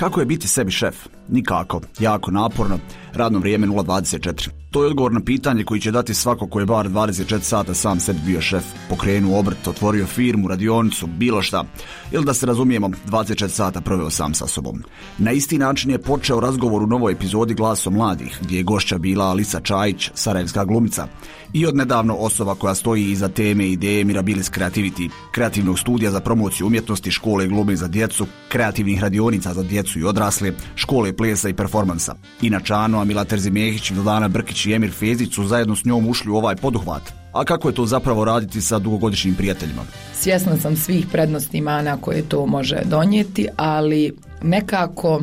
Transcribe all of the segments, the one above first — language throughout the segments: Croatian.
Kako je biti sebi šef? Nikako, jako naporno, radno vrijeme 0,24. To je odgovor na pitanje koji će dati svako ko je bar 24 sata sam sebi bio šef, pokrenuo obrt, otvorio firmu, radionicu, bilo šta. Ili da se razumijemo, 24 sata proveo sam sa sobom. Na isti način je počeo razgovor u novoj epizodi Glasom mladih, gdje je gošća bila Alisa Čajić, sarajevska glumica, i odnedavno osoba koja stoji iza teme i ideje Mirabilis Creativity, kreativnog studija za promociju umjetnosti, škole glume za djecu, kreativnih radionica za djecu i odrasle, škole plesa i performansa. Inače, Ano, Amila Terzimehić, Vildana Brkić i Emir Fezić su zajedno s njom ušli u ovaj poduhvat. A kako je to zapravo raditi sa dugogodišnjim prijateljima? Svjesna sam svih prednosti i mana koje to može donijeti, ali nekako,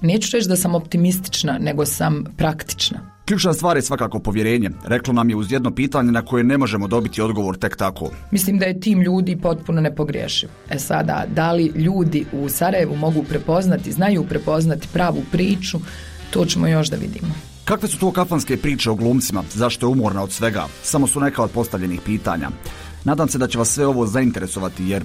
neću reći da sam optimistična, nego sam praktična. Ključna stvar je svakako povjerenje. Reklo nam je uz jedno pitanje na koje ne možemo dobiti odgovor tek tako. Mislim da je tim ljudi potpuno nepogrešiv. Sada, da li ljudi u Sarajevu mogu prepoznati, znaju prepoznati pravu priču, to ćemo još da vidimo. Kakve su to kafanske priče o glumcima? Zašto je umorna od svega? Samo su neka od postavljenih pitanja. Nadam se da će vas sve ovo zainteresovati, jer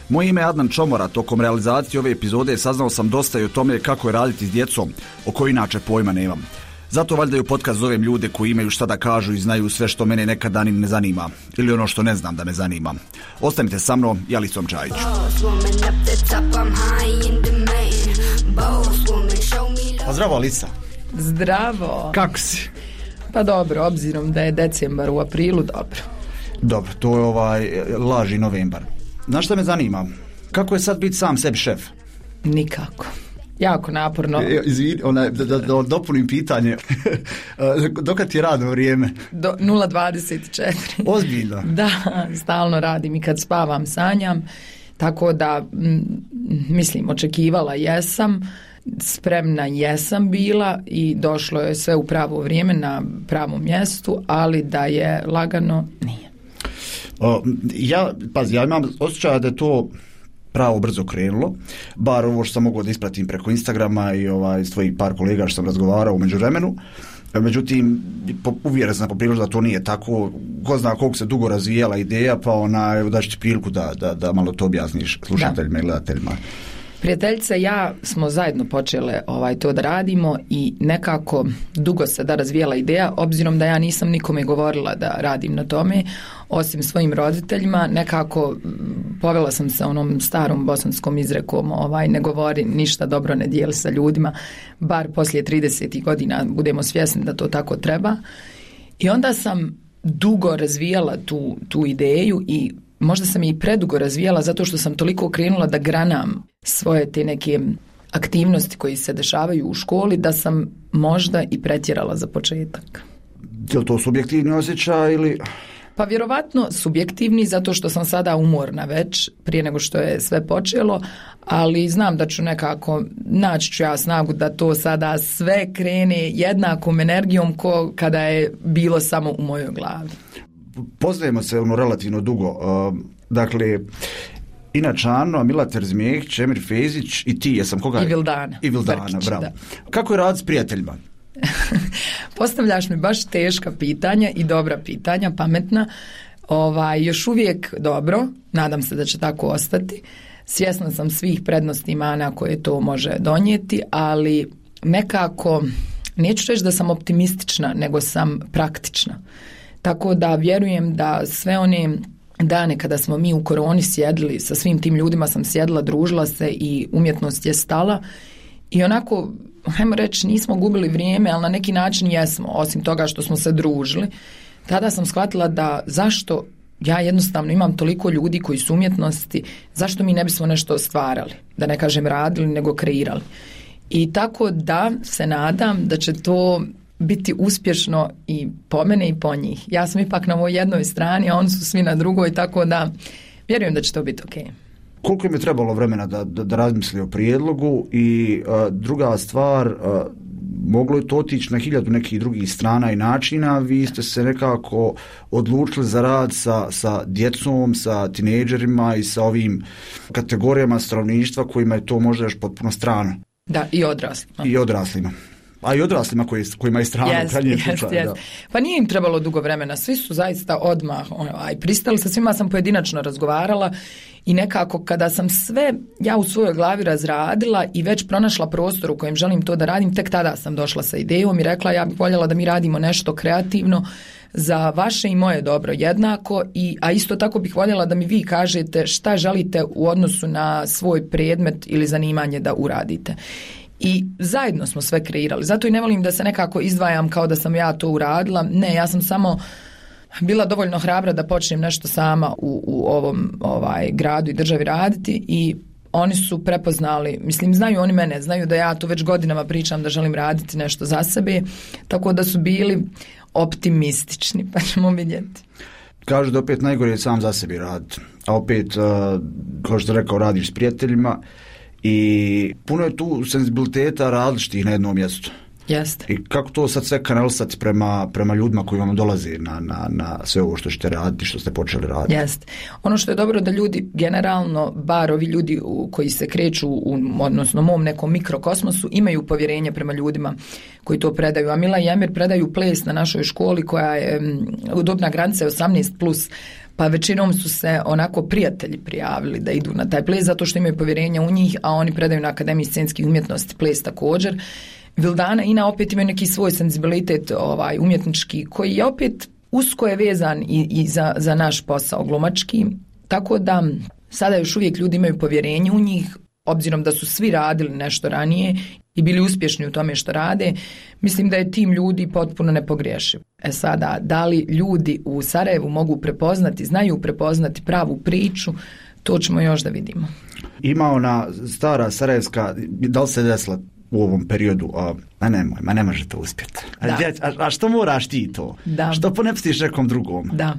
moje ime je Adnan Čomora. Tokom realizacije ove epizode saznao sam dosta i o tome kako je raditi s djecom, o kojoj inače pojma nemam. Zato valjda u podcast zovem ljude koji imaju šta da kažu i znaju sve što mene nekada ni ne zanima. Ili ono što ne znam da me zanima. Ostanite sa mnom i Alisom Čajić. Pa zdravo, Alisa. Zdravo. Kako si? Pa dobro, obzirom da je decembar, u aprilu dobro. Dobro, to je laži novembar. Znaš šta me zanima? Kako je sad biti sam sebi šef? Nikako. Jako naporno. Izvini, da dopunim pitanje. Dokad ti je radno vrijeme? Do 0,24. Ozbiljno? Da, stalno radim i kad spavam sanjam. Tako da, mislim, očekivala jesam, spremna jesam bila i došlo je sve u pravo vrijeme na pravom mjestu, ali da je lagano, nije. Ja imam osjećaj da je to pravo brzo krenulo, bar ovo što sam mogao da ispratim preko Instagrama i s tvojih par kolega što sam razgovarao u međuvremenu. Međutim, uvjeren sam poprilično da to nije tako. Ko zna koliko se dugo razvijala ideja, pa daći ti priliku da malo to objasniš slušateljima i gledateljima. Prijateljica i ja smo zajedno počele to da radimo i nekako dugo se da razvijela ideja, obzirom da ja nisam nikome govorila da radim na tome, osim svojim roditeljima. Nekako povela sam se onom starom bosanskom izrekom, ne govori ništa dobro, ne dijeli sa ljudima, bar poslije 30 godina budemo svjesni da to tako treba. I onda sam dugo razvijala tu ideju i možda sam i predugo razvijala zato što sam toliko krenula da granam svoje te neke aktivnosti koji se dešavaju u školi da sam možda i pretjerala za početak. Je li to subjektivni osjećaj ili... Pa vjerovatno subjektivni zato što sam sada umorna već prije nego što je sve počelo, ali znam da ću nekako naći ću ja snagu da to sada sve krene jednakom energijom ko kada je bilo samo u mojoj glavi. Poznajemo se relativno dugo. Dakle, inače Ano, Amila Terzimehić, Emir Fezić i ti, jesam koga? I Vildana. Brkić, bravo. Da. Kako je rad s prijateljima? Postavljaš mi baš teška pitanja i dobra pitanja, pametna. Još uvijek dobro, nadam se da će tako ostati. Svjesna sam svih prednosti i mana koje to može donijeti, ali nekako, neću reći da sam optimistična, nego sam praktična. Tako da vjerujem da sve one dane kada smo mi u koroni sjedili, sa svim tim ljudima sam sjedila, družila se i umjetnost je stala i onako, hajmo reći, nismo gubili vrijeme, ali na neki način jesmo, osim toga što smo se družili. Tada sam shvatila da zašto ja jednostavno imam toliko ljudi koji su umjetnosti, zašto mi ne bismo nešto stvarali, da ne kažem radili, nego kreirali. I tako da se nadam da će to biti uspješno i po mene i po njih. Ja sam ipak na ovoj jednoj strani, a oni su svi na drugoj, tako da vjerujem da će to biti ok. Koliko im je trebalo vremena da razmisli o prijedlogu i druga stvar, moglo je to otići na 1000 nekih drugih strana i načina, vi ste se nekako odlučili za rad sa djecom, sa tinejdžerima i sa ovim kategorijama stanovništva kojima je to možda još potpuno strano. Da, i odraslima. I odraslima. A i odraslima kojima je strano u krajnjem slučaju. Pa nije im trebalo dugo vremena, svi su zaista odmah pristali, sa svima sam pojedinačno razgovarala i nekako kada sam sve ja u svojoj glavi razradila i već pronašla prostor u kojem želim to da radim, tek tada sam došla sa idejom i rekla ja bih voljela da mi radimo nešto kreativno za vaše i moje dobro jednako, a isto tako bih voljela da mi vi kažete šta želite u odnosu na svoj predmet ili zanimanje da uradite. I zajedno smo sve kreirali. Zato i ne volim da se nekako izdvajam kao da sam ja to uradila. Ne, ja sam samo bila dovoljno hrabra da počnem nešto sama u ovom gradu i državi raditi i oni su prepoznali, mislim, znaju oni mene, znaju da ja to već godinama pričam da želim raditi nešto za sebe, tako da su bili optimistični, pa ćemo vidjeti. Kažu da opet najgore je sam za sebi raditi, a opet, kao što rekao, radiš s prijateljima i puno je tu senzibiliteta različitih na jednom mjestu. Jeste. I kako to sad sve kanalisati prema ljudima koji vam dolaze na sve ovo što ćete raditi, što ste počeli raditi? Jeste. Ono što je dobro da ljudi generalno, bar ovi ljudi koji se kreću odnosno mom nekom mikrokosmosu, imaju povjerenje prema ljudima koji to predaju. A Mila i Emir predaju ples na našoj školi koja je dobna granica 18+, pa većinom su se onako prijatelji prijavili da idu na taj ples zato što imaju povjerenja u njih, a oni predaju na Akademiji scenskih umjetnosti ples također. Vildana i Ina opet imaju neki svoj senzibilitet umjetnički koji je opet usko je vezan i za naš posao glumački, tako da sada još uvijek ljudi imaju povjerenje u njih, obzirom da su svi radili nešto ranije i bili uspješni u tome što rade. Mislim da je tim ljudi potpuno nepogriješiv. Sada, da li ljudi u Sarajevu mogu prepoznati, znaju prepoznati pravu priču, to ćemo još da vidimo. Ima ona stara sarajevska, da li se desila u ovom periodu, ne može to uspjeti. A što moraš ti to? Da. Što ponepustiš nekom drugom? Da.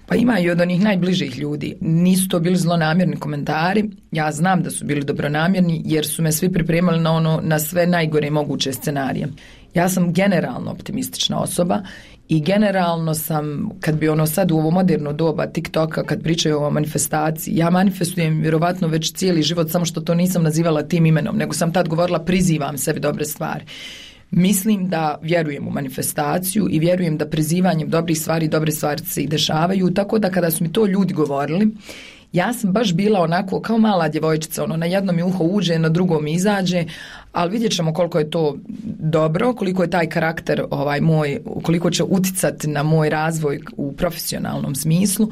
Pa ima i od onih najbližih ljudi. Nisu to bili zlonamjerni komentari. Ja znam da su bili dobronamjerni jer su me svi pripremali na sve najgore moguće scenarije. Ja sam generalno optimistična osoba i generalno sam, kad bi sad u ovo moderno doba TikToka, kad pričaju o manifestaciji, ja manifestujem vjerovatno već cijeli život, samo što to nisam nazivala tim imenom, nego sam tad govorila prizivam sebi dobre stvari. Mislim da vjerujem u manifestaciju i vjerujem da prizivanjem dobrih stvari, dobre stvari se i dešavaju, tako da kada su mi to ljudi govorili, ja sam baš bila onako kao mala djevojčica, na jednom mi uho uđe, na drugom izađe, ali vidjet ćemo koliko je to dobro, koliko je taj karakter moj, koliko će uticati na moj razvoj u profesionalnom smislu,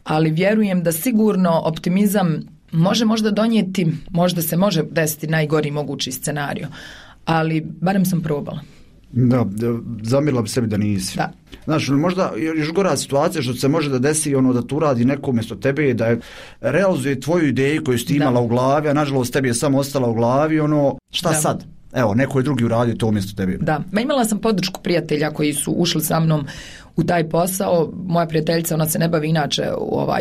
ali vjerujem da sigurno optimizam može možda donijeti, možda se može desiti najgori mogući scenario, ali barem sam probala. Da, zamjerila bi sebi da nisi. Da. Znaš, možda još gora situacija što se može da desi da tu radi neko umjesto tebe, da realizuje tvoju ideju koju si imala u glavi, a nažalost tebi je samo ostala u glavi, šta sad? Evo, neko je drugi uradio to umjesto tebe. Da, imala sam podršku prijatelja koji su ušli sa mnom u taj posao. Moja prijateljica, ona se ne bavi inače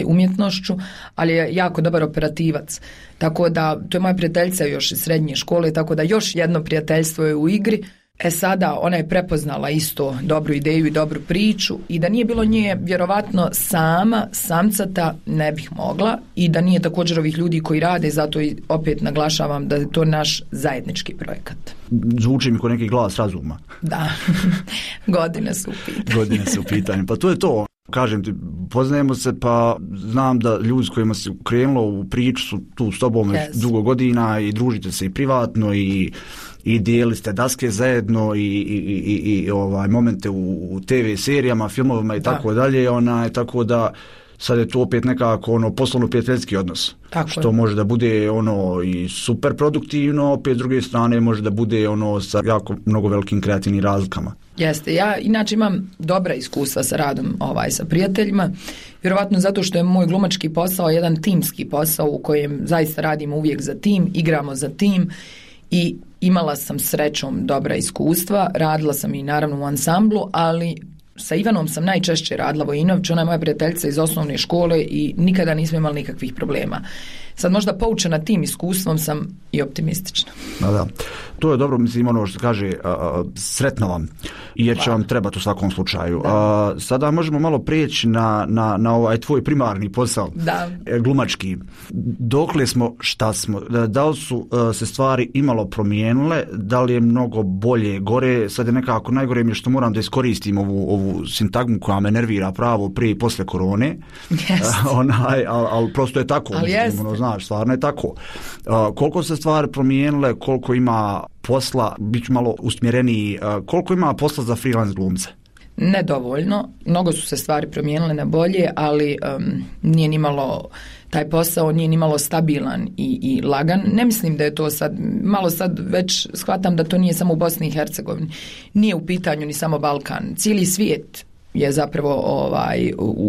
umjetnošću, ali je jako dobar operativac. Tako da, to je moja prijateljica još iz srednje škole, tako da još jedno prijateljstvo je u igri. Sada ona je prepoznala isto dobru ideju i dobru priču i da nije bilo nje vjerovatno samcata ne bih mogla i da nije također ovih ljudi koji rade, zato i opet naglašavam da je to naš zajednički projekat. Zvuči mi kao neki glas razuma. Da, godine su u pitanju. Pa to je to. Kažem ti, poznajemo se, pa znam da ljudi s kojima si krenulo u priču su tu s tobom već dugo godina i družite se i privatno i dijeli ste daske zajedno i momente u TV serijama, filmovima i tako dalje, tako da sad je to opet nekako poslovno-prijateljski odnos. Tako što može da bude i super produktivno, opet s druge strane može da bude sa jako mnogo velikim kreativnim razlikama. Jeste, ja inače imam dobra iskustva sa radom sa prijateljima, vjerovatno zato što je moj glumački posao jedan timski posao u kojem zaista radimo uvijek za tim, igramo za tim i imala sam srećom dobra iskustva, radila sam i naravno u ansamblu, ali sa Ivanom sam najčešće radila Vojinović, ona je moja prijateljica iz osnovne škole i nikada nismo imali nikakvih problema. sad možda poučena tim iskustvom sam i optimistična. Da. To je dobro, mislim, ono što kaže, sretno vam, jer će vam trebati u svakom slučaju. Sada možemo malo prijeći na ovaj tvoj primarni posao, glumački. Dokle smo, šta smo, da li su se stvari imalo promijenile, da li je mnogo bolje, gore, sad je nekako najgore mi je što moram da iskoristim ovu sintagmu koja me nervira pravo prije i posle korone, ali prosto je tako, znaš, stvarno je tako. Koliko se stvari promijenile, koliko ima posla, bit ću malo usmjereniji, koliko ima posla za freelance glumce? Nedovoljno, mnogo su se stvari promijenile na bolje, ali nije nimalo, taj posao nije nimalo stabilan i lagan. Ne mislim da je to sad, malo sad već shvatam da to nije samo u Bosni i Hercegovini, nije u pitanju ni samo Balkan, cijeli svijet je zapravo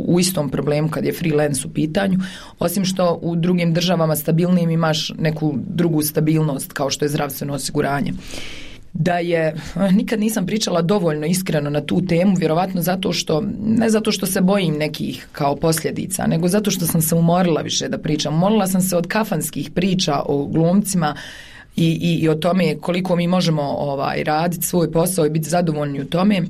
u istom problemu kad je freelance u pitanju, osim što u drugim državama stabilnijim imaš neku drugu stabilnost kao što je zdravstveno osiguranje. Da je, nikad nisam pričala dovoljno iskreno na tu temu, vjerovatno ne zato što se bojim nekih kao posljedica, nego zato što sam se umorila više da pričam. Umorila sam se od kafanskih priča o glumcima i o tome koliko mi možemo raditi svoj posao i biti zadovoljni u tome.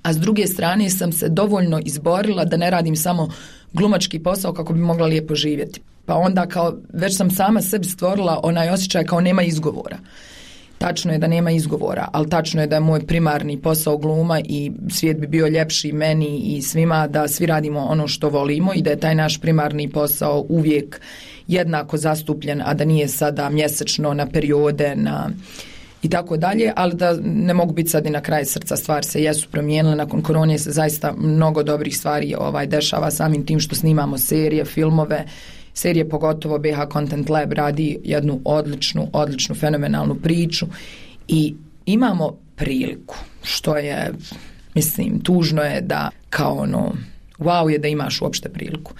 A s druge strane sam se dovoljno izborila da ne radim samo glumački posao kako bi mogla lijepo živjeti. Pa onda već sam sama sebi stvorila onaj osjećaj kao nema izgovora. Tačno je da nema izgovora, ali tačno je da je moj primarni posao gluma i svijet bi bio ljepši meni i svima da svi radimo ono što volimo i da je taj naš primarni posao uvijek jednako zastupljen, a da nije sada mjesečno na periode, i tako dalje, ali da ne mogu biti sad i na kraj srca, stvari se jesu promijenile, nakon korone se zaista mnogo dobrih stvari dešava samim tim što snimamo serije, filmove, serije pogotovo BH Content Lab radi jednu odličnu fenomenalnu priču i imamo priliku, što je, mislim, tužno je da kao wow je da imaš uopšte priliku.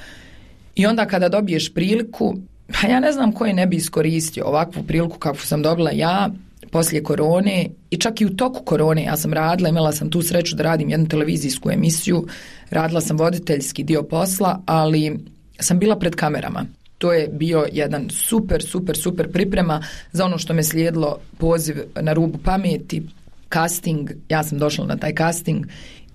I onda kada dobiješ priliku, pa ja ne znam koji ne bi iskoristio ovakvu priliku kakvu sam dobila ja, poslije korone i čak i u toku korone ja sam radila, imala sam tu sreću da radim jednu televizijsku emisiju, radila sam voditeljski dio posla, ali sam bila pred kamerama. To je bio jedan super priprema za ono što me slijedilo, poziv na rubu pameti, casting, ja sam došla na taj casting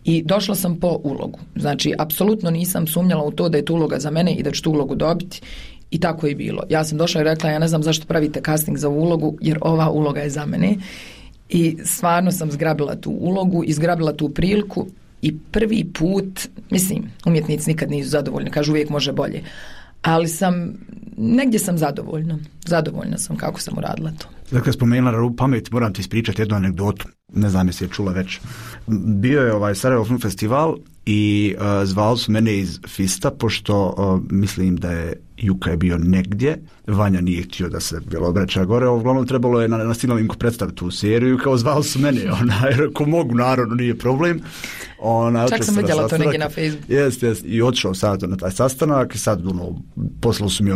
i došla sam po ulogu. Znači, apsolutno nisam sumnjala u to da je to uloga za mene i da ću tu ulogu dobiti. I tako je bilo. Ja sam došla i rekla, ja ne znam zašto pravite casting za ulogu, jer ova uloga je za mene. I stvarno sam zgrabila tu ulogu i zgrabila tu priliku i prvi put, mislim, umjetnici nikad nisu zadovoljni, kažu uvijek može bolje. Ali negdje sam zadovoljna sam kako sam uradila to. Dakle, spomenula na rubu pameti, moram ti ispričati jednu anegdotu, ne znam jesi je čula već. Bio je Sarajevo Film Festival i zvali su mene iz Fista, pošto mislim da je Juka je bio negdje, Vanja nije htio da se bilo obraća gore, uglavnom trebalo je na Sinovinku predstaviti tu seriju, kao zvali su mene, jer ko mogu, naravno, nije problem. Čak sam vidjela to negdje na Facebooku. Jest, i otišao sad na taj sastanak i sad poslali su mi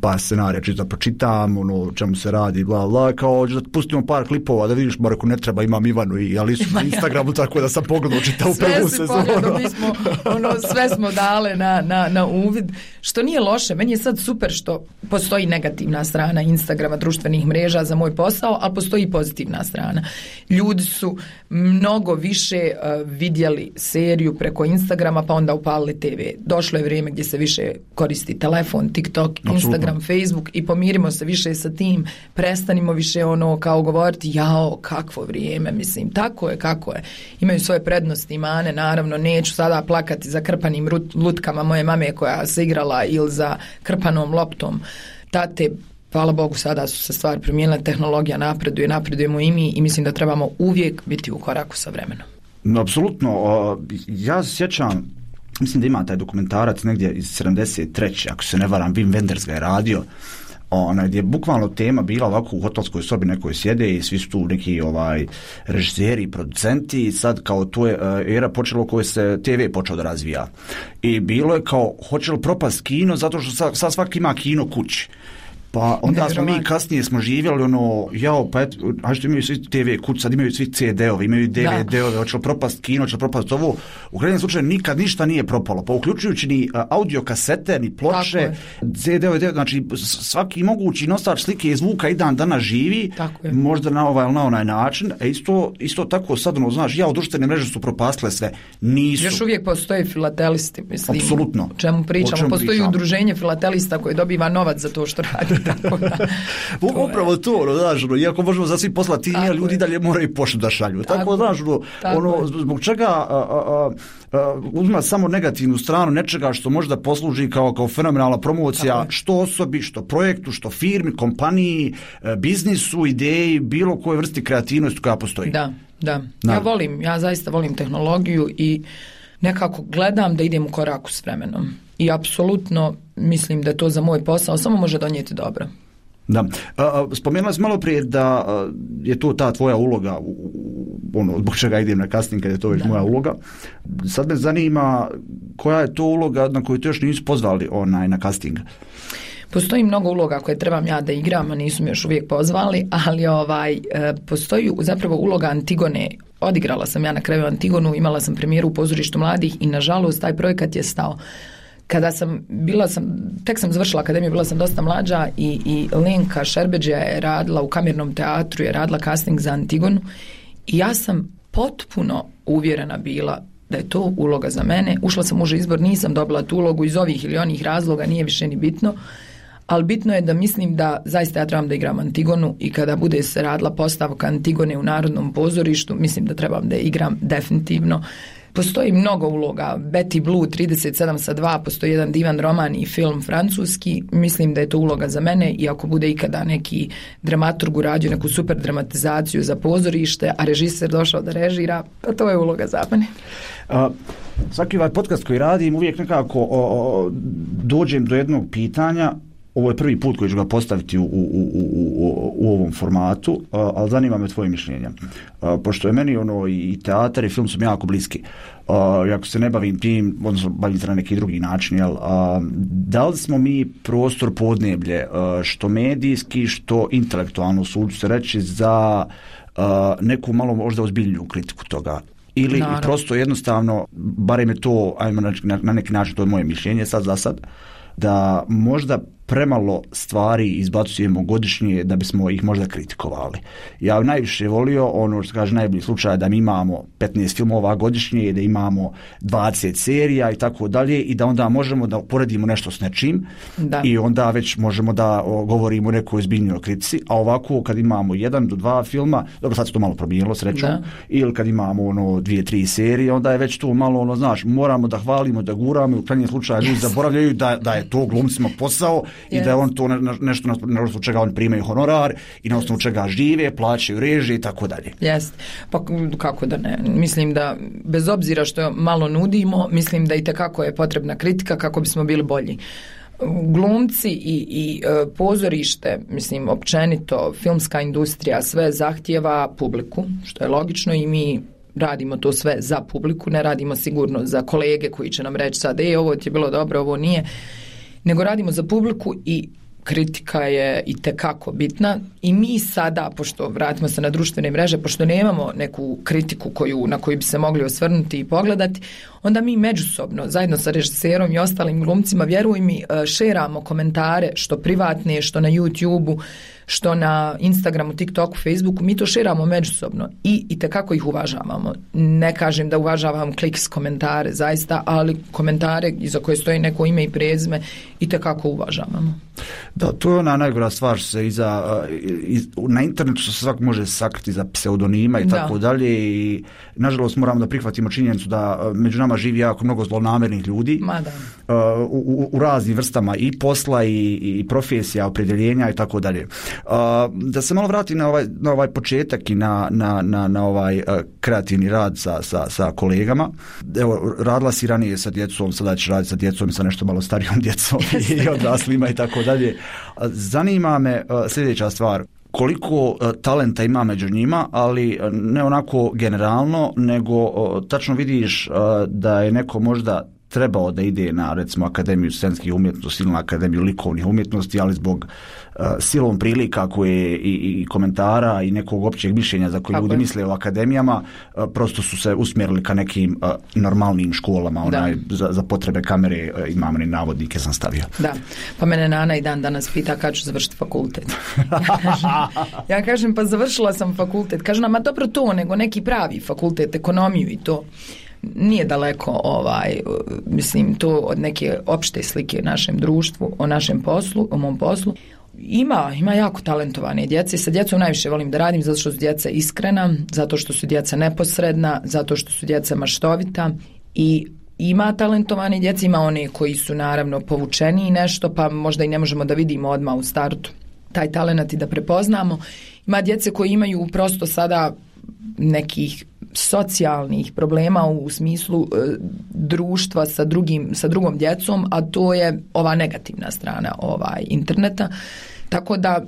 par scenarija čisto da pročitam, čemu se radi, bla bla, kao da pustimo par klipova da vidiš, bar ako ne treba, imam Ivanu i Alisu na Instagramu, tako da sam pogledao čitao prvu sezonu. Mi smo, sve smo dale na uvid, što nije loše. Meni je sad super što postoji negativna strana Instagrama, društvenih mreža za moj posao, ali postoji i pozitivna strana. Ljudi su mnogo više vidjeli seriju preko Instagrama, pa onda upalili TV. Došlo je vrijeme gdje se više koristi telefon, TikTok, Instagram, Facebook i pomirimo se više sa tim, prestanimo više kao govoriti, jao, kakvo vrijeme, mislim, tako je, kako je. Imaju svoje prednosti i mane, naravno, neću sada plakati za krpanim lutkama moje mame koja se igrala ili za krpanom loptom tate. Hvala Bogu, sada su se stvari promijenile, tehnologija napreduje, napredujemo i mi i mislim da trebamo uvijek biti u koraku sa vremenom. No, apsolutno. Ja se sjećam, mislim da ima taj dokumentarac negdje iz 73. ako se ne varam, Wim Wenders ga je radio, gdje je bukvalno tema bila ovako u hotelskoj sobi nekoj sjede i svi su tu neki režiseri i producenti i sad kao to je era počela u kojoj se TV počeo da razvija. I bilo je kao, hoće li propast kino zato što sad svaki ima kino kući. Pa onda smo mi kasnije živjeli pa eto, što imaju svi TV kuć, sad imaju svi CD-ovi, imaju DVD-ove, hoće li propast kino, hoće li propast ovo. U krajnjem slučaju nikad ništa nije propalo, pa uključujući ni audio kasete, ni ploče, CD-ove, znači svaki mogući nosač slike i zvuka i dan danas živi, možda na ovaj ili na onaj način, a isto tako sad, znaš, društvene mreže su propastile sve, nisu. Još uvijek postoje filatelisti, mislim. Apsolutno. O čemu pričamo? Postoji udruženje filatelista koje dobiva novac za to što radi. Upravo to, znaš, iako možemo za svi poslati, ljudi dalje moraju poštu da šalju. Tako, znaš, zbog čega uzima samo negativnu stranu nečega što možda posluži kao fenomenalna promocija što osobi, što projektu, što firmi, kompaniji, biznisu, ideji, bilo koje vrsti kreativnosti koja postoji. Da. Ja zaista volim tehnologiju i nekako gledam da idem u koraku s vremenom. I apsolutno mislim da to za moj posao samo može donijeti dobro. Da. Spomenula sam malo prije da je to ta tvoja uloga, zbog čega idem na casting kad je to već moja uloga. Sad me zanima koja je to uloga na koju te još nisu pozvali na casting. Postoji mnogo uloga koje trebam ja da igram, a nisu me još uvijek pozvali, ali postoji zapravo uloga Antigone. Odigrala sam ja na kraju Antigonu, imala sam premijeru u Pozorištu mladih i nažalost taj projekat je stao. Kada tek sam završila akademiju, bila sam dosta mlađa i Lenka Šerbeđija je radila u Kamernom teatru, je radila casting za Antigonu i ja sam potpuno uvjerena bila da je to uloga za mene. Ušla sam u uži izbor, nisam dobila tu ulogu iz ovih ili onih razloga, nije više ni bitno, ali bitno je da mislim da zaista ja trebam da igram Antigonu i kada bude se radila postavka Antigone u Narodnom pozorištu, mislim da trebam da igram definitivno. Postoji mnogo uloga, Betty Blue 37/2, postoji jedan divan roman i film francuski, mislim da je to uloga za mene i ako bude ikada neki dramaturg uradio neku super dramatizaciju za pozorište, a režiser došao da režira, pa to je uloga za mene. Svaki ovaj podcast koji radim uvijek nekako dođem do jednog pitanja. Ovo je prvi put koji ću ga postaviti u ovom formatu, ali zanima me tvoje mišljenje. Pošto je meni i teatar i film su mi jako bliski. Ako se ne bavim tim, odnosno bavim se na neki drugi način, da li smo mi prostor podneblje, što medijski, što intelektualno, suđu se reći, za neku malo možda ozbiljniju kritiku toga? Ili prosto jednostavno, barem je to, ajmo na neki način, to je moje mišljenje sad za sad, da možda premalo stvari izbacujemo godišnje da bismo ih možda kritikovali. Ja najviše volio, što kaže najbolji slučaj, da mi imamo 15 filmova godišnje, da imamo 20 serija i tako dalje i da onda možemo da uporedimo nešto s nečim i onda već možemo da govorimo o nekoj ozbiljnoj kritici, a ovako kad imamo 1 do 2 filma, dobro sad se to malo promijenilo srećom, ili kad imamo 2-3 serije, onda je već to malo, znaš, moramo da hvalimo, da guramo i u krajnjem slučaju ljudi zaboravljaju da je to glumcima posao i da je on to nešto na osnovu čega on primaju honorar i na osnovu čega žive, plaćaju režije i tako dalje. Jest. Pa kako da ne? Mislim da bez obzira što malo nudimo, mislim da i tekako je potrebna kritika kako bismo bili bolji. Glumci i pozorište, mislim općenito filmska industrija sve zahtijeva publiku, što je logično i mi radimo to sve za publiku, ne radimo sigurno za kolege koji će nam reći sad ovo ti je bilo dobro, ovo nije, nego radimo za publiku i kritika je itekako bitna i mi sada, pošto vratimo se na društvene mreže, pošto nemamo neku kritiku na koju bi se mogli osvrnuti i pogledati, onda mi međusobno, zajedno sa režiserom i ostalim glumcima, vjeruj mi, šeramo komentare, što privatne, što na YouTube-u, što na Instagramu, TikToku, Facebooku, mi to šeramo međusobno i itekako ih uvažavamo. Ne kažem da uvažavam kliks komentare, zaista, ali komentare iza koje stoji neko ime i prezime itekako uvažavamo. Da, to je ona najgora stvar što se na internetu što se svak može sakriti za pseudonima i tako dalje i nažalost moramo da prihvatimo činjenicu da među nama živi jako mnogo zlonamernih ljudi u raznim vrstama i posla i profesija, opredjeljenja i tako dalje. Da se malo vratim na ovaj početak i na ovaj kreativni rad sa kolegama. Evo, radila si ranije sa djecom, sada ćeš raditi sa djecom i sa nešto malo starijom djecom i odraslima i tako dalje. Zanima me sljedeća stvar. Koliko talenta ima među njima, ali ne onako generalno, nego tačno vidiš da je neko možda trebao da ide na, recimo, Akademiju scenskih umjetnosti ili na Akademiju likovnih umjetnosti, ali zbog silom prilika koje i komentara i nekog općeg mišljenja za koje ljudi misle o akademijama, prosto su se usmjerili ka nekim normalnim školama, za potrebe kamere, imam ni navodnike sam stavio. Da, pa mene Nana i dan danas pita kad ću završiti fakultet. Ja kažem, pa završila sam fakultet. Kažu nam, a dobro to, nego neki pravi fakultet, ekonomiju i to. Nije daleko mislim to od neke opšte slike našem društvu, o našem poslu, o mom poslu. Ima jako talentovane djece. Sa djecom najviše volim da radim zato što su djeca iskrena, zato što su djeca neposredna, zato što su djeca maštovita i ima talentovane djece, ima one koji su naravno povučeni nešto, pa možda i ne možemo da vidimo odmah u startu taj talent i da prepoznamo. Ima djece koji imaju prosto sada nekih socijalnih problema u smislu društva sa drugom djecom, a to je ova negativna strana interneta. Tako da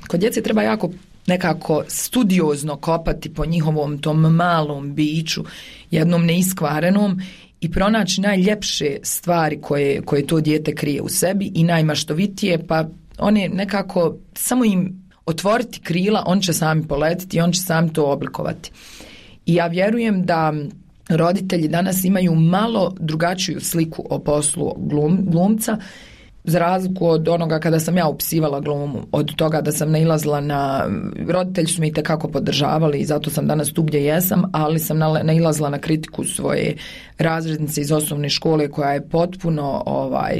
kod djece treba jako nekako studiozno kopati po njihovom tom malom biću, jednom neiskvarenom, i pronaći najljepše stvari koje to dijete krije u sebi i najmaštovitije, pa one nekako samo im otvoriti krila, on će sami poletiti i on će sami to oblikovati. I ja vjerujem da roditelji danas imaju malo drugačiju sliku o poslu glumca, za razliku od onoga kada sam ja upisivala glumu, od toga da sam nailazila roditelji su me itekako podržavali i zato sam danas tu gdje jesam, ali sam nailazila na kritiku svoje razrednice iz osnovne škole koja je potpuno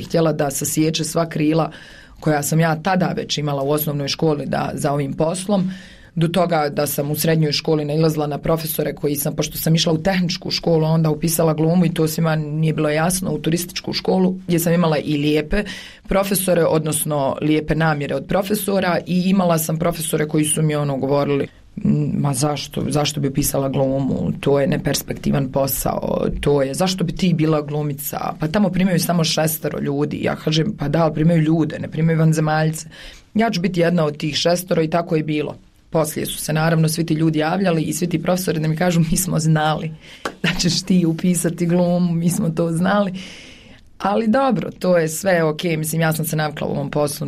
htjela da sasječe sva krila koja sam ja tada već imala u osnovnoj školi za ovim poslom, do toga da sam u srednjoj školi nailazila na profesore koji sam, pošto sam išla u tehničku školu, onda upisala glumu i to svima nije bilo jasno, u turističku školu gdje sam imala i lijepe profesore, odnosno lijepe namjere od profesora, i imala sam profesore koji su mi govorili, ma zašto bi upisala glumu, to je neperspektivan posao, to je, zašto bi ti bila glumica, pa tamo primaju samo 6 ljudi. Ja kažem, pa da, primaju ljude, ne primaju vanzemaljce. Ja ću biti jedna od tih 6 i tako je bilo. Poslije su se naravno svi ti ljudi javljali i svi ti profesori da mi kažu, mi smo znali da ćeš ti upisati glumu, mi smo to znali. Ali dobro, to je sve ok, mislim, ja sam se navikla u ovom poslu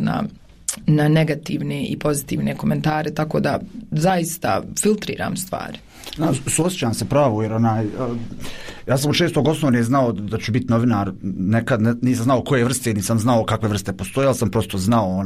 na negativne i pozitivne komentare, tako da zaista filtriram stvari. Suosjećam se pravo, jer ja sam od 6. osnovne znao da ću biti novinar, nekad nisam znao koje vrste, nisam znao kakve vrste postoje, ali sam prosto znao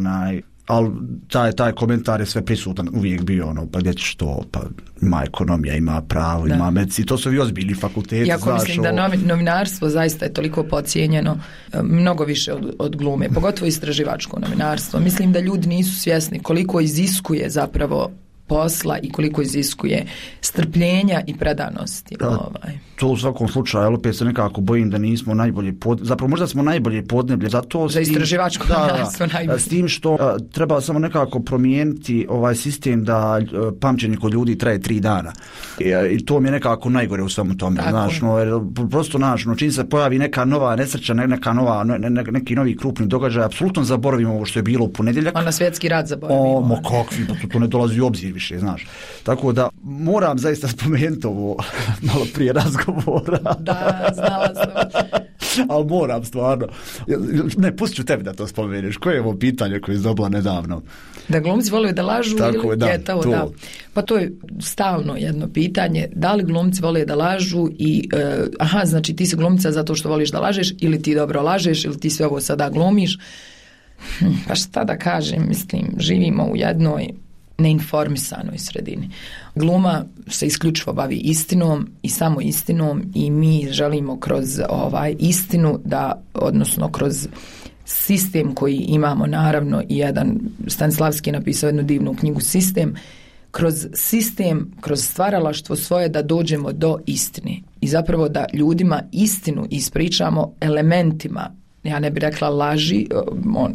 ali taj komentar je sve prisutan, uvijek bio pa gdje ćeš to, pa ima ekonomija, ima pravo, ima medicina, to su i ozbiljni fakulteti. Jako mislim da novinarstvo zaista je toliko podcijenjeno, mnogo više od glume, pogotovo istraživačko novinarstvo. Mislim da ljudi nisu svjesni koliko iziskuje zapravo posla i koliko iziskuje strpljenja i predanosti. To u svakom slučaju, ali opet se nekako bojim da nismo najbolje zapravo možda smo najbolje podneblje za to. Za istraživačko novinarstvo najbolje. S tim što treba samo nekako promijeniti ovaj sistem da pamćenje kod ljudi traje 3 dana. I to mi je nekako najgore u svemu tome. Prosto čim se pojavi neka nova nesreća, neki novi krupni događaj, apsolutno zaboravimo ovo što je bilo u ponedjeljak. Na svjetski rat zaboravimo. Kakvi, to ne dolazi u obzir više, znaš. Tako da moram zaista spomenuti ovo malo prije razgovora. Da, znala sam. Ali moram stvarno. Ne, pustit ću tebi da to spomeneš. Koje je ovo pitanje koje je dobila nedavno? Da glumci vole da lažu tako, ili je to? Da. Pa to je stalno jedno pitanje. Da li glumci vole da lažu i znači ti si glumca zato što voliš da lažeš, ili ti dobro lažeš, ili ti sve ovo sada glumiš. Pa šta da kažem, mislim, živimo u jednoj neinformisanoj sredini. Gluma se isključivo bavi istinom i samo istinom, i mi želimo kroz istinu odnosno kroz sistem koji imamo, naravno, i jedan Stanislavski je napisao jednu divnu knjigu Sistem, kroz sistem, kroz stvaralaštvo svoje da dođemo do istine i zapravo da ljudima istinu ispričamo elementima. Ja ne bih rekla laži,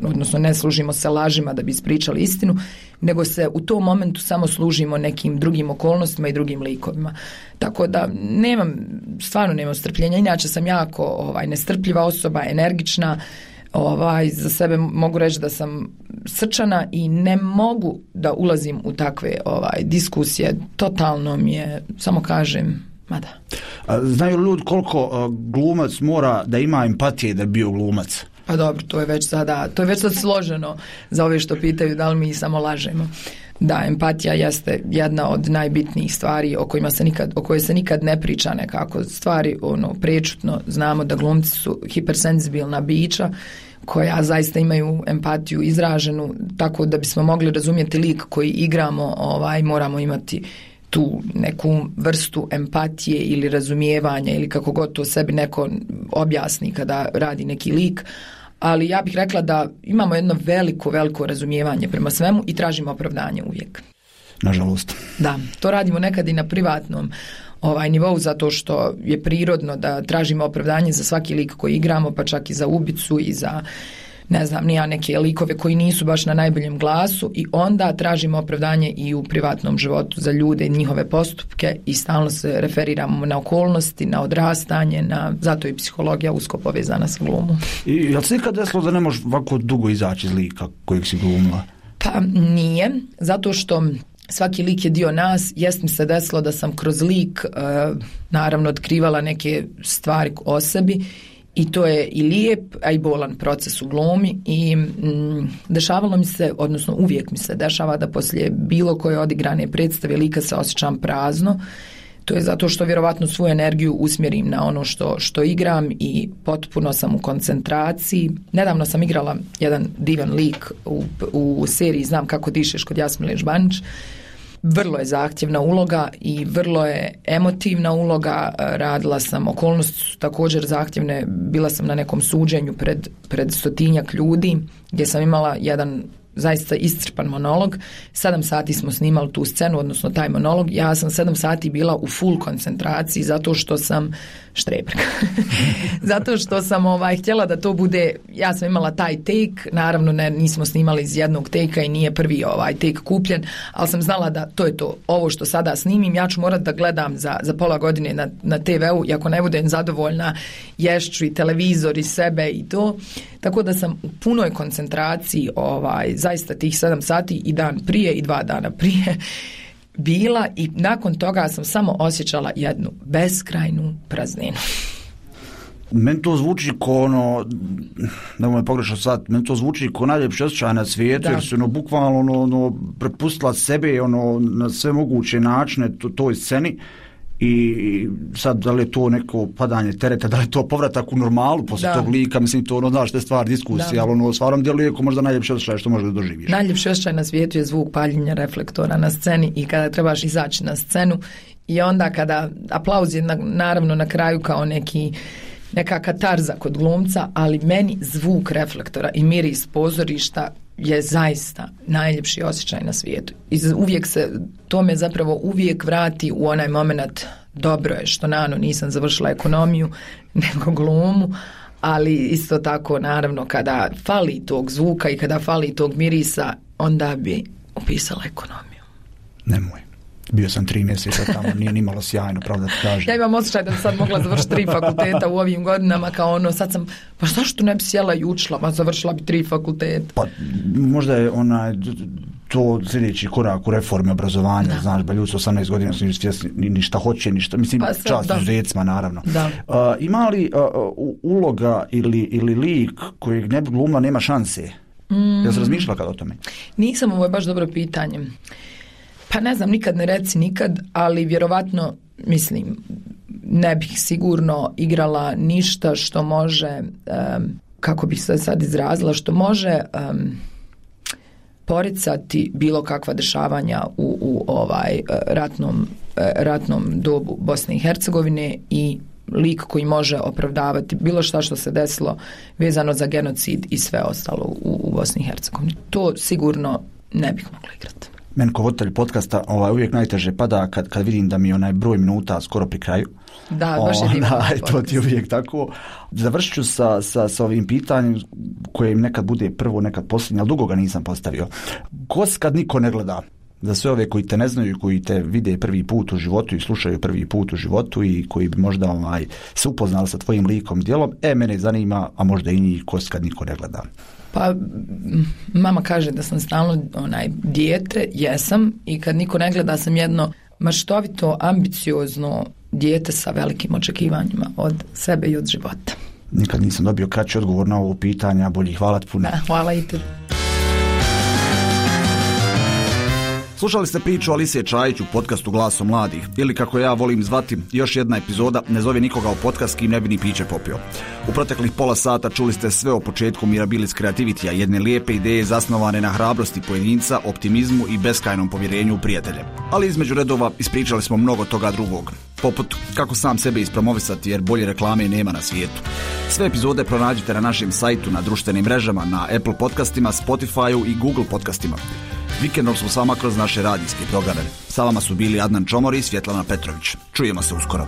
odnosno ne služimo se lažima da bi ispričali istinu, nego se u tom momentu samo služimo nekim drugim okolnostima i drugim likovima. Tako da stvarno nemam strpljenja. Inače sam jako nestrpljiva osoba, energična, za sebe mogu reći da sam srčana i ne mogu da ulazim u takve diskusije. Totalno mi je, samo kažem, Mada. Znaju li ljudi koliko glumac mora da ima empatije da bi bio glumac? Pa dobro, to je već sad složeno za ove što pitaju da li mi samo lažemo. Da, empatija jeste jedna od najbitnijih stvari o kojoj se nikad ne priča nekako. Stvari prečutno znamo da glumci su hipersenzibilna bića koja zaista imaju empatiju izraženu, tako da bismo mogli razumjeti lik koji igramo, moramo imati tu neku vrstu empatije ili razumijevanja ili kako god to sebi neko objasni kada radi neki lik. Ali ja bih rekla da imamo jedno veliko razumijevanje prema svemu i tražimo opravdanje uvijek. Nažalost. Da, to radimo nekad i na privatnom nivou zato što je prirodno da tražimo opravdanje za svaki lik koji igramo, pa čak i za ubicu i za neke likove koji nisu baš na najboljem glasu i onda tražimo opravdanje i u privatnom životu za ljude, njihove postupke i stalno se referiramo na okolnosti, na odrastanje, zato je psihologija usko povezana sa glumom. I jel se ikad desilo da ne možeš ovako dugo izaći iz lika kojeg si glumila? Pa nije, zato što svaki lik je dio nas. Jest mi se desilo da sam kroz lik naravno otkrivala neke stvari o sebi i to je i lijep, a i bolan proces u glumi i dešavalo mi se, odnosno uvijek mi se dešava da poslije bilo koje odigrane predstave lika se osjećam prazno. To je zato što vjerovatno svoju energiju usmjerim na ono što igram i potpuno sam u koncentraciji. Nedavno sam igrala jedan divan lik u seriji Znam kako dišeš kod Jasmile Žbanić. Vrlo je zahtjevna uloga i vrlo je emotivna uloga. Radila sam, okolnosti su također zahtjevne. Bila sam na nekom suđenju pred 100-tinjak ljudi gdje sam imala jedan zaista iscrpan monolog. 7 sati smo snimali tu scenu, odnosno taj monolog. Ja sam 7 sati bila u full koncentraciji zato što sam štreberka. Zato što sam htjela da to bude, ja sam imala taj take, naravno nismo snimali iz jednog take-a i nije prvi take kupljen, ali sam znala da to je to. Ovo što sada snimim, ja ću morati da gledam za pola godine na TV-u i ako ne budem zadovoljna, ješću i televizor i sebe i to. Tako da sam u punoj koncentraciji zaista tih 7 sati i dan prije i 2 dana prije bila i nakon toga sam samo osjećala jednu beskrajnu prazninu. Meni to zvuči ko nemoj pogrešno sad, meni to zvuči ko najljepši osjećaj na svijetu, jer se bukvalno prepustila sebe na sve moguće načine toj sceni. I sad, da li je to neko padanje tereta, da li je to povratak u normalu posle tog lika, mislim, to znaš, te stvar diskusije, ali stvarno djeluje ko možda najljepši osjećaj što možeš da doživiš. Najljepši osjećaj na svijetu je zvuk paljenja reflektora na sceni i kada trebaš izaći na scenu i onda kada aplauz je naravno na kraju kao neka katarza kod glumca, ali meni zvuk reflektora i miris pozorišta je zaista najljepši osjećaj na svijetu. I to me zapravo uvijek vrati u onaj moment, dobro je što nisam završila ekonomiju nego glumu, ali isto tako naravno kada fali tog zvuka i kada fali tog mirisa, onda bi upisala ekonomiju. Nemoj. Bio sam 3 mjeseca tamo, nije nimalo sjajno, pravda ti kažem. Ja imam osjećaj da sam sad mogla završiti 3 fakulteta u ovim godinama, kao sad sam, pa zašto ne bi sjela i učila, pa završila bi 3 fakulteta. Pa možda je to sljedeći korak u reformi obrazovanja, znaš, ba ljudi su 18 godina su svjesni ništa hoće, ništa, mislim, čast izuzecima, naravno. Ima li uloga ili lik kojeg ne bi glumila nema šanse? Jel se razmišljala kad o tome? Nisam, ovo je baš dobro pitanje. Pa ne znam, nikad ne reci nikad, ali vjerovatno, mislim, ne bih sigurno igrala ništa što može, kako bih se sad izrazila, što može poricati bilo kakva dešavanja u ratnom dobu Bosne i Hercegovine i lik koji može opravdavati bilo šta što se desilo vezano za genocid i sve ostalo u Bosni i Hercegovini. To sigurno ne bih mogla igrati. Meni kao voditelj podcasta uvijek najteže pada kad vidim da mi je onaj broj minuta skoro pri kraju. Da, baš je divan podcast. To ti je uvijek tako. Završit ću sa ovim pitanjem koje im nekad bude prvo, nekad posljednje, ali dugo ga nisam postavio. Kad niko ne gleda, za sve ove koji te ne znaju i koji te vide prvi put u životu i slušaju prvi put u životu i koji bi možda se upoznali sa tvojim likom djelom, mene zanima, a možda i njih, kad niko ne gleda. Pa mama kaže da sam stalno dijete, jesam, i kad niko ne gleda sam jedno maštovito, ambiciozno, dijete sa velikim očekivanjima od sebe i od života. Nikad nisam dobio kraći odgovor na ovo pitanje, bolje hvala ti puno. Hvala i te. Slušali ste priču Alisije Čajić u podcastu Glasom mladih, ili kako ja volim zvati, još jedna epizoda Ne zove nikoga u podcast kim ne bi ni piće popio. U proteklih pola sata čuli ste sve o početku Mirabilis Creativity-a, jedne lijepe ideje zasnovane na hrabrosti pojedinca, optimizmu i beskrajnom povjerenju u prijatelje. Ali između redova ispričali smo mnogo toga drugog, poput kako sam sebe ispromovisati jer bolje reklame nema na svijetu. Sve epizode pronađite na našem sajtu, na društvenim mrežama, na Apple podcastima, Spotify-u i Google podcastima. Vikendom smo s vama kroz naše radijske programe. Sa vama su bili Adnan Čomor i Svjetlana Petrović. Čujemo se uskoro.